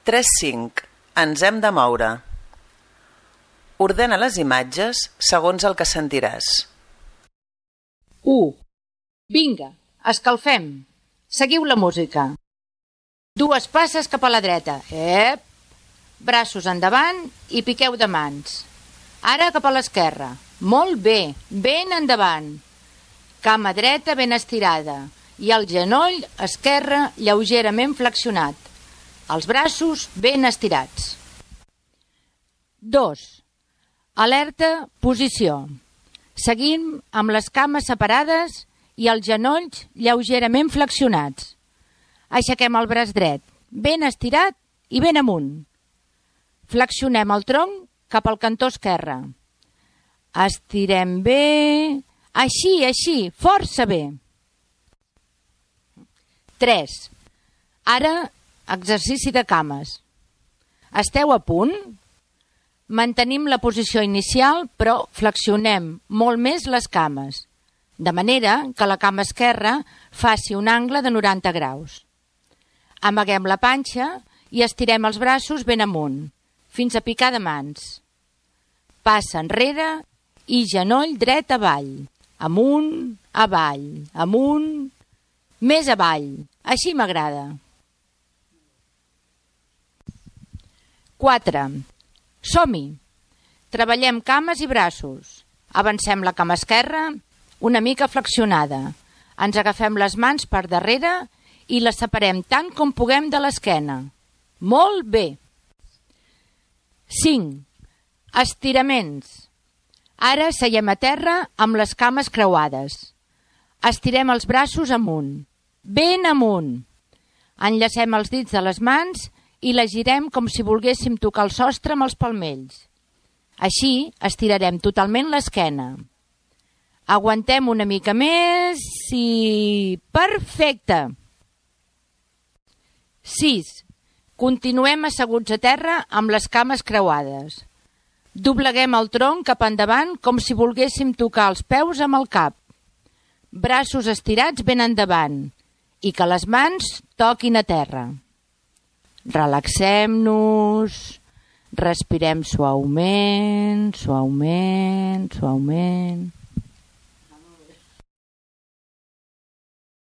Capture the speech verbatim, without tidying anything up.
tres cinc. Ens hem de moure. Ordena les imatges segons el que sentiràs. u. Vinga, escalfem. Seguiu la música. Dues passes cap a la dreta. Ep! Braços endavant i piqueu de mans. Ara cap a l'esquerra. Molt bé, ben endavant. Cama dreta ben estirada i el genoll esquerre lleugerament flexionat. Els braços ben estirats. dos. Alerta, posició. Seguim amb les cames separades i els genolls lleugerament flexionats. Aixequem el braç dret, ben estirat i ben amunt. Flexionem el tronc cap al cantó esquerre. Estirem bé, així, així, força bé. tres. Ara, exercici de cames. Esteu a punt? Mantenim la posició inicial, però flexionem molt més les cames, de manera que la cama esquerra faci un angle de noranta graus. Amaguem la panxa i estirem els braços ben amunt, fins a picar de mans. Passa enrere i genoll dret avall, amunt, avall, amunt, més avall. Així m'agrada. quatre. Som-hi! Treballem cames i braços. Avancem la cama esquerra una mica flexionada. Ens agafem les mans per darrere i les separem tant com puguem de l'esquena. Molt bé! cinc. Estiraments. Ara seiem a terra amb les cames creuades. Estirem els braços amunt, ben amunt. Enllacem els dits de les mans i la girem com si volguéssim tocar el sostre amb els palmells. Així estirarem totalment l'esquena. Aguantem una mica més i... Perfecte! sis. Continuem asseguts a terra amb les cames creuades. Dobleguem el tronc cap endavant com si volguéssim tocar els peus amb el cap. Braços estirats ben endavant i que les mans toquin a terra. Relaxem-nos, respirem suaument, suaument, suaument.